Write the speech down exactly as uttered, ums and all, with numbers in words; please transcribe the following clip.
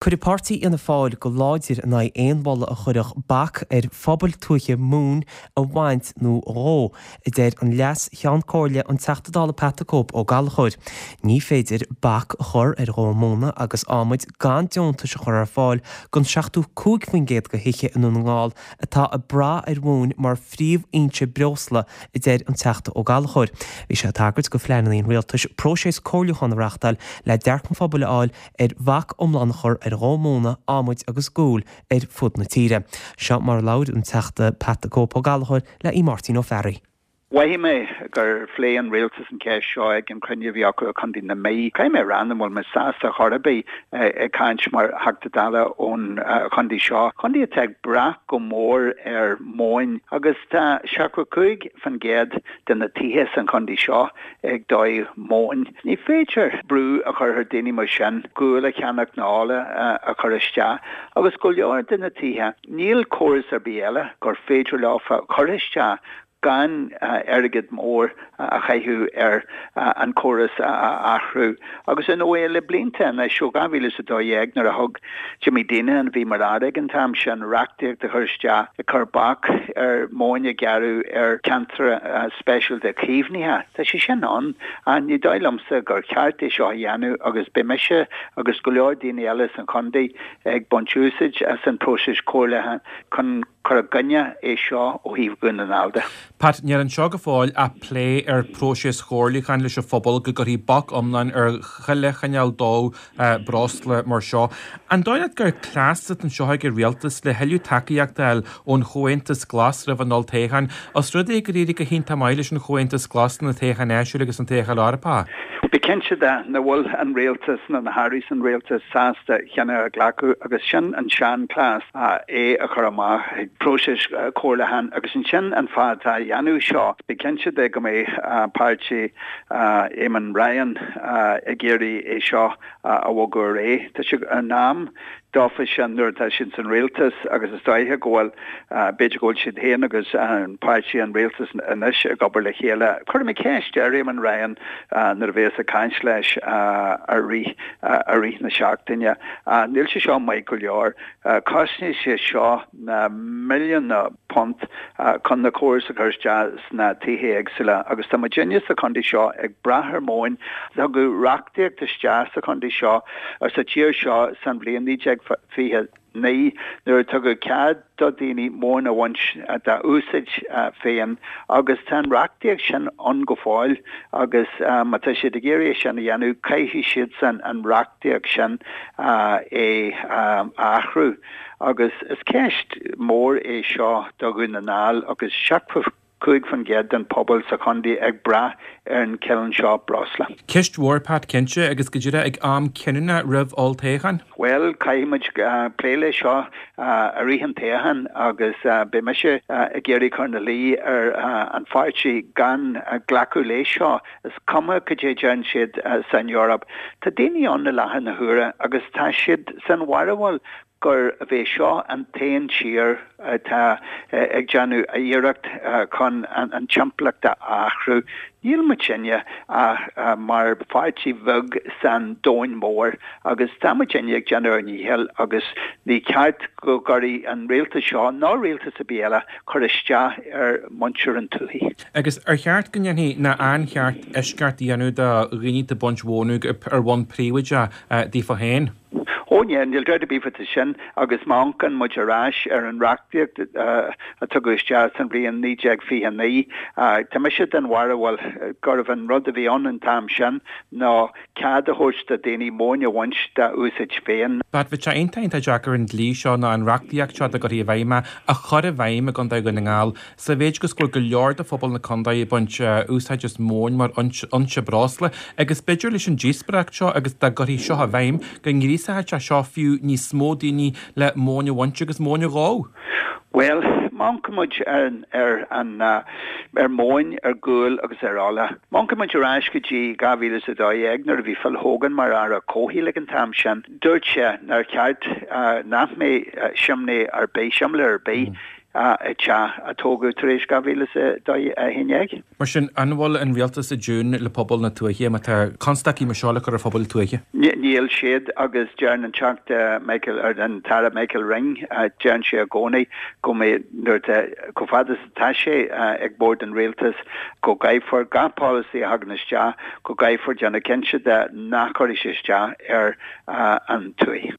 Cuirfidh Páirtí Fhianna Fáil go láidir in aghaidh aon mholadh a chuirfeadh bac ar phobail tuaithe móin a bhaint nó a dhó, a deir an Leas-Cheann Comhairle an Teachta Dála Pat the Cope Ó Gallchóir. Ní féidir bac a chur ar dhó móna agus adhmaid gan deontais a chur ar fáil don seachtó cúig faoin gcéad de thithe i nDún na nGall atá ag brath ar mhóin mar phríomhfhoinse breosla, a deir an Teachta Ó Gallchóir. Bhí sé ag tagairt do phleananna an rialtais próiseas comhairliúcháin a reáchtáil le dearcadh an phobail a fháil ar bhac iomlán a chur ar dhó móna, adhmaid agus guail ar fud na tíre. Seo mar a labhair an Teachta Pat the Cope Ó Gallchóir le Aodh Máirtín Ó Fearraigh. Mhothaigh mé gur phléigh an rialtas an cheist seo ag an chruinniú a bhí acu i Contae na Mí. Caithfidh mé a rá nach bhfuil mé sásta chor ar bith ag caint mar Theachta Dála ón chontae seo. Contae atá ag brath go mór ar mhóin agus tá seachtó cúig faoin gcéad de na tithe san chontae seo ag dóigh móin. Ní féidir brú a chur ar daoine mar sin gual a cheannach nó ola a chur isteach agus go leor de na tithe níl córas ar bith eile gur féidir leo chur isteach gan airgead mór a chaitheamh ar an córas a athrú. Agus in ó le blianta anois ó dhá mhíle is a dó dhéag nuair a thug Jimmy Deenihan a bhí mar aire ag an t-am sin reachtaíocht a chur isteach ag cur bac ar mhóin a ghearradh ar cheantar speisialta caomhnaithe. Tá sé sin ann ní dóigh liomsa gur cheart é seo a dhéanamh agus beidh mise agus go leor daoine eile san chontae ag baint úsáid as an próiseas comhairliúcháin chun cur i gcoinne é seo ó thaobh Dhún na nGall de. Pat, níl anseo go fóill ach plé ar próiseas chomhairliúcháin leis an phobal go gcuirfí bac iomlán ar chuile chineál dó breosla mar seo. An dóigh leat gur cleas atá anseo ag an rialtas le thuilleadh tacaíocht a fháil ón Chomhaontas Glas roimh an olltoghchán, os rud é gur éirigh go hiontach maith leis an Chomhaontas Glas na toghcháin áitiúil agus an toghchán Eorpach? Bí cinnte de nach bhfuil an rialtas na na hairí san rialtas sásta cinneadh a ghlacadh agus sin an seanchleas é a chur amach ag próiseas comhairliúcháin agus ansin an fáth atá dhéanamh seo. Bí cinnte de go mbeidh páirtí Eamon Ryan ag iarraidh é seo a bhogadh ar aghaidh. Tá sé in am dófa sin nuair atá siad san rialtas agus is dóiche go bhfuil b'fhéidir go bhfuil siad féin agus an páirtí an rialtas anois ag obair le chéile. Cuirfidh mé ceist ar Eamon Ryan nuair a bheas ag caint leis i rith i rith na seachtaine. Níl sé seo maith go leor. Cosnaíonn sé seo na milliúin punt chun na córas a chur isteach sna tithe éagsúla agus tá muidinne sa chontae seo ag brath ar mhóin tugadh reachtaíocht isteach sa chontae seo ar sa tír seo san bhliain naoi déag fiche naoi nuair a tugadh cead do daoine móin a bhaint dá úsáid féin agus tá an reachtaíocht sin ann go fóill agus má tá siad ag iarraidh sin a dhéanamh caithfidh siad san an reachtaíocht sin é a athrú. Agus is ceist mór é seo do Dhún na nGall agus seachtó cúig faoin gcéad den pobal sa chontae ag brath ar an cineál seo breosla. Ceist mhór Pat cinnte agus go díreach ag am cinniúnach roimh olltoghchán. Well caithfimid plé le seo i rith an toghcháin agus beidh mise ag iarraidh cur ina luí ar an pháirtí gan glacadh leis seo. Is cuma cad é deireann siad san Eoraip. Tá daoine ann i láthair na huaire agus tá siad san bharúil gur bhé seo an t-aon tír atá ag déanamh iarracht chun an timpeallacht a athrú. Níl muidinne ach mar pháirtí bheag san domhan mór agus tá muidinne ag déanamh ár ndícheall agus ní ceart go gcuirfidh an rialtas seo ná rialtas ar bith eile cur isteach ar muintir an tuaithe. Agus ar cheart go ndéanfaí ná an cheart eisceacht a dhéanamh do dhaoine atá ag baint mhóna ar bhonn príobháideach daofa féin? Ó ní níl dabht ar bith faoi sin agus má amharcann muid ar ais ar an reachtaíocht a tugadh isteach san bhliain naoi déag fiche naoi, tá mise den bharúil gurbh an rud a bhí ann an t-am sin ná cead a thabhairt do daoine móin a bhaint dá úsáid féin. Pat bheadh sé iontach iontach deacair an dlí seo nó an reachtaíocht seo dá gcuirfí i bhfeidhm é a chur i bhfeidhm i gContae Dhún na nGall sa mhéid agus go bhfuil go leor de phobal na contae ag baint úsáid as móin mar fhoinse breosla agus b'fhéidir leis an díospóireacht seo agus dá gcuirfí seo i bhfeidhm go ngríosódh sé seo fiú níos mó daoine le móin a bhaint agus móin a dhó. Well, má amharcann muid ar ar an ar mhóin, ar ghual agus ar ola. Má amharcann muid ar ais go dtí dhá mhíle is a dó dhéag nuair a bhí Phil Hogan mar aire comhshaoil ag an t-am sin, dúirt sé nár cheart nach mbeadh simné ar bith, simléar ar bith i teach a tógadh tar éis dhá mhíle is a haon déag. Mar sin, an bhfuil an rialtas i dtiúin le pobal na tuaithe má tá constaicí mar seo le cur ar phobal na tuaithe? Níl siad agus deireann an Teachta Michael, or an tAire Michael Ring, deireann sé i gcónaí go mbeidh nuair atá, chomh fada is atá sé ag bord an rialtais, go gcaithfear gach polasaí a thagann isteach, go gcaithfear déanamh cinnte de nach gcuirfidh sé isteach ar an tuaith.